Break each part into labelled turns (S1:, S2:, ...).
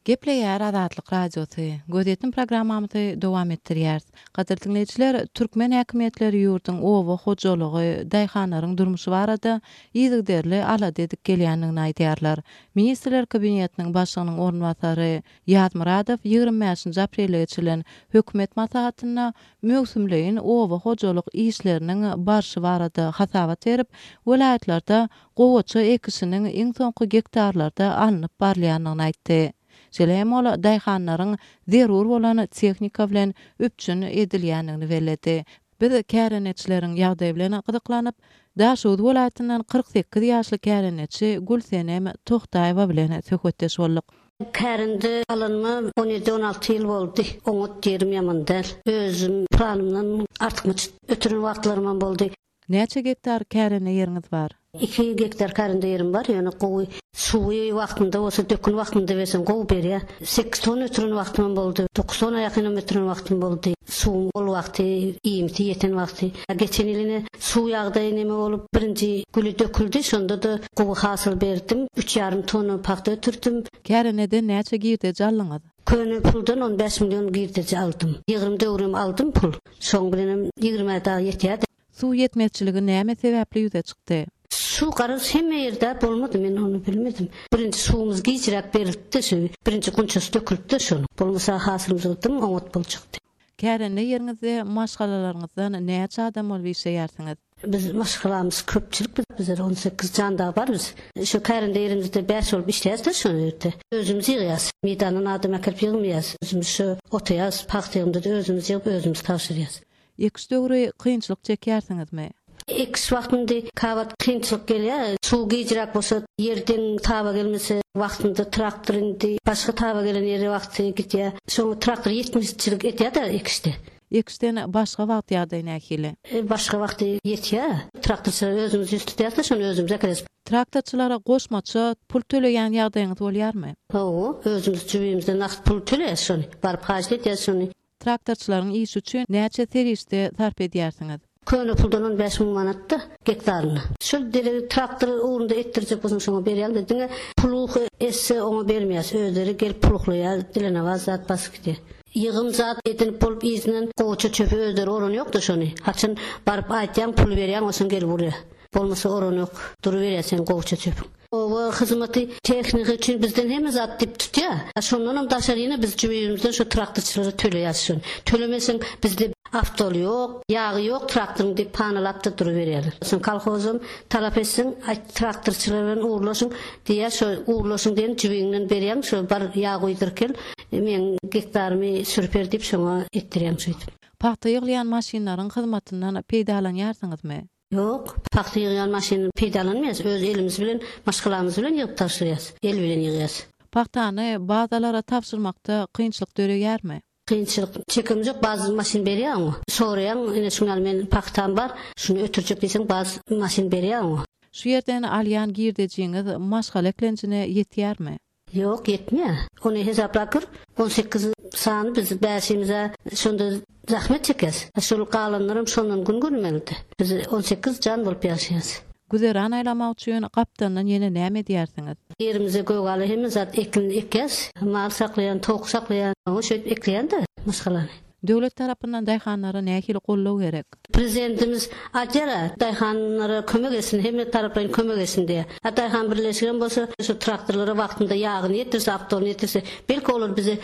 S1: Gepleýär Azatlyk Radiosy. Gözýetim programmamyzy dowam etdirýäris. Gadyrly diňleýjiler, türkmen häkimiýetleri ýurduň oba hojalygy, daýhanlaryň durmuşy barada yzygiderli alada edip gelýändigini aýdýarlar. Ministrler Kabinetiniň Başlygynyň orunbasary Ýazmyradow 25-nji aprelde geçirilen hökümet maslahatynda möwsümleýin oba hojalyk işleriniň barşy barada hasabat berip, welaýatlarda gowaça ekişiniň iň soňky gektarlarda alnyp barylýandygyny aýtdy. Şeýle hem ol daýhanlaryň zerur bolan tehnika bilen üpjün edilýändigini belledi. Biz kärendeçileriň ýagdaýy bilen gyzyklanyp, Daşoguz welaýatyndan 48 ýaşly kärendeçi Gülsenem Tohtaýewa bilen söhbetdeş bolduk.
S2: Kärende alanyma on ýedi, on alty ýyl boldy. Oňat ýerim ýaman däl. Özüm planymdan artykmaç ötüren wagtlarymam boldy.
S1: Näçe gektar kärende ýeriňiz bar?
S2: Iki gektar kärende ýerim bar, ýöne gowy suwy wagtynda bolsa, dökün wagtynda berseň gowy berýär. Sekiz tonna ötüren wagtymam boldy, dokuz tonna ýakynam ötüren wagtym boldy. Suwuň bol wagty, iýmiti ýeten wagty. Geçen ýyl ine suw ýagdaýy neme bolup, birinji güli döküldi, şonda-da gowy hasyl berdim. Üç ýarym tonna pagta ötürdim.
S1: Kärendeden näçe girdeji aldyňyz?
S2: Köne puldan on bäş million girdeji aldym. Ýygrym döwrem aldym pul. Şoň bilenem ýigrimä dagy ýetýärdi.
S1: Suw ýetmezçiligi näme sebäpli ýüze çykdy?
S2: Suw garaz hemme ýerde bolmady men ony bilmedim. Birinji suwumyz gijräk berilipdi şu birinji gunçasy dökülipdi şonuň. Bolmasa hasylymyz dym oňat boljakdy.
S1: Kärende ýeriňizde maşgalalaryňyzdan näçe adam bolup işleýärsiňiz?
S2: Biz maşgalamyz köpçülik biz bizler 18 jan dagy bar biz. Şu kärende ýerimizde bäş bolup işleýäs-de şo ýerde. Özümiz ýygýas. Meýdandan adam äkelip ýygmaýas. Özümiz şu otaýas, pagta ýygymda-da özümiz ýygyp özümiz tabşyrýas.
S1: Ekiş döwri kynçylyk çekýärsiňizmi?
S2: Ekiş wagtynda käwagt kynçylyk gelýär. Suw gijräk bolsa, ýer deň taba gelmese, wagtynda traktor indi başga taba gelen ýere wagty gidýär. Şoňa traktor ýetmezçilik edýär-de ekişde.
S1: Ekişden başga wagt ýagdaý nähili?
S2: Başga wagty ýetýär. Traktorçylara özümiz ýüz tutýarys-da, şony özümiz äkideriz.
S1: Traktorçylara goşmaça pul töleýän ýagdaýyňyz bolýarmy?
S2: Hawa, özümiz jübimizden nagt pul töleýäris şony. Baryp haýyşt edýäris şony.
S1: Traktorçylaryň işi üçin näçe serişde sarp edýärsiňiz?
S2: Köne puldan on bäş müň manat-da gektaryna. Şol deregi traktor ugrunda etdirjek bolsaň şoňa berýäň-de, diňe puluhy etse oňa bermeýäs. Özleri gelip puluhlaýar, dilenewaz zat basyp gidýär. Ýygym zat edinip bolup yzyndan gowaça çöpi özleri oranýokda şony. Haçan baryp aýtýaň puly berýäň osaň gelip urýar. Bolmasa oranok. Duruberýär seň gowaça çöpüň. Oba hyzmaty tehnika üçin bizden hemme zat diýip tutýar. A şondanam daşary ýene biz jübimizden şo traktorçylara töleýäs şony. Tölemeseň bizde awtoly ýok, ýagy ýok traktoryň diýip panalap-da duruberýärler. Soň kolhozam talap etseň aýt traktorçylar bilen ugurlaşyň diýýär. Şo ugurlaşyň diýen jübiňden berýäň şo bar ýag guýduryp gel meň gektarymy sürüp ber diýip şoňa etdirýäň şeýdip.
S1: Pagta ýygylýan maşynlaryň hyzmatyndan peýdalanýarsyňyzmy?
S2: Ýok, pagta ýygýan maşyny peýdalanmaýas, öz elimiz bilen, maşgalamyz bilen ýygyp tabşyrýas. El bilen ýygýas.
S1: Pagtany bazalara tabşyrmakda kynçylyk döreýärmi?
S2: Kynçylyk çekemzok, baz maşyn berýär oňa. Soraýaň, ine şuň ýaly meniň pagtam bar, şuny ötürjek diýseň, baz maşyn berýär oňa.
S1: Şu ýerden alýan girdejiňiz maşgala eklenjine ýetýärmi?
S2: Ýok, ýetmeýär. Ony hesaplap gör, on sekiz sany biz bäşimiz-ä şonda zähmet çekýäs. Şol galanlaram şondan gün görmelidi. Biz on sekiz jan bolup ýaşaýas.
S1: Güzeran aýlamak üçin gapdaldan ýene näme edýärsiňiz?
S2: Ýerimize gögala hemme zat ekin ekýäs. Mal saklaýan, towuk saklaýan. Oňa şeýdip ekleýän-de maşgalany.
S1: Döwlet tarapyndan daýhanlara nähili goldaw gerek?
S2: Prezidentimiz aýdýar-a, daýhanlara kömek etsin, hemme taraplaýyn kömek etsin diýýär. A daýhan birleşigem bolsa, şu traktorlara wagtynda ýagyny ýetirse, awtoryny ýetirse, belki olar bize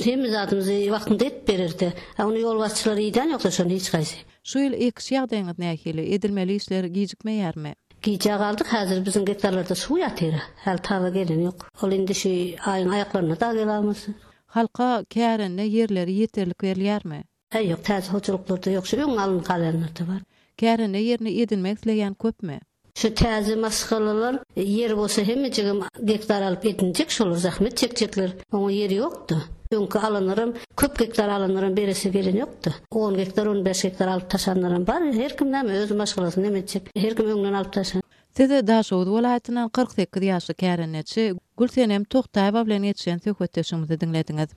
S2: hemme zadymyzy wagtynda edip bererdi. A ony ýolbaşçylar idän ýokda şony hiç haýsy.
S1: Şu ýyl ekiş ýagdaýyňyz nähili? Edilmeli işler gijikmeýärmi?
S2: Gijä galdyk, häzir biziň gektarlarda suw ýatyr-a. Häli taba geleni ýok. Ol indi şu aýyň aýaklarynda dagy gelalmasa.
S1: Halka kärende ýerleri ýeterlik berilýärmi?
S2: Äý ýok, täze hojalyklarda ýok, şu öň alnyp galýanlarda bar.
S1: Kärende ýerini edinmek isleýän köpmi?
S2: Şu täze maşgalalar ýer bolsa hemmejigem gektar alyp edinjek şolar zähmet çekjekler. Oňa ýer ýokda. Öňki alanlaram köp gektar alanlaram beresi gelen ýokda. On gektar on bäş gektar alyp taşanlaram bar. Her kim näme öz maşgalasyny neme etjek. Her kim öňden alyp taşan.
S1: Siz Daşoguz welaýatyndan 48 ýaşly kärendeçi Gülsenem Togtaýewa bilen geçiren söhbetdeşligimizi diňlediňiz.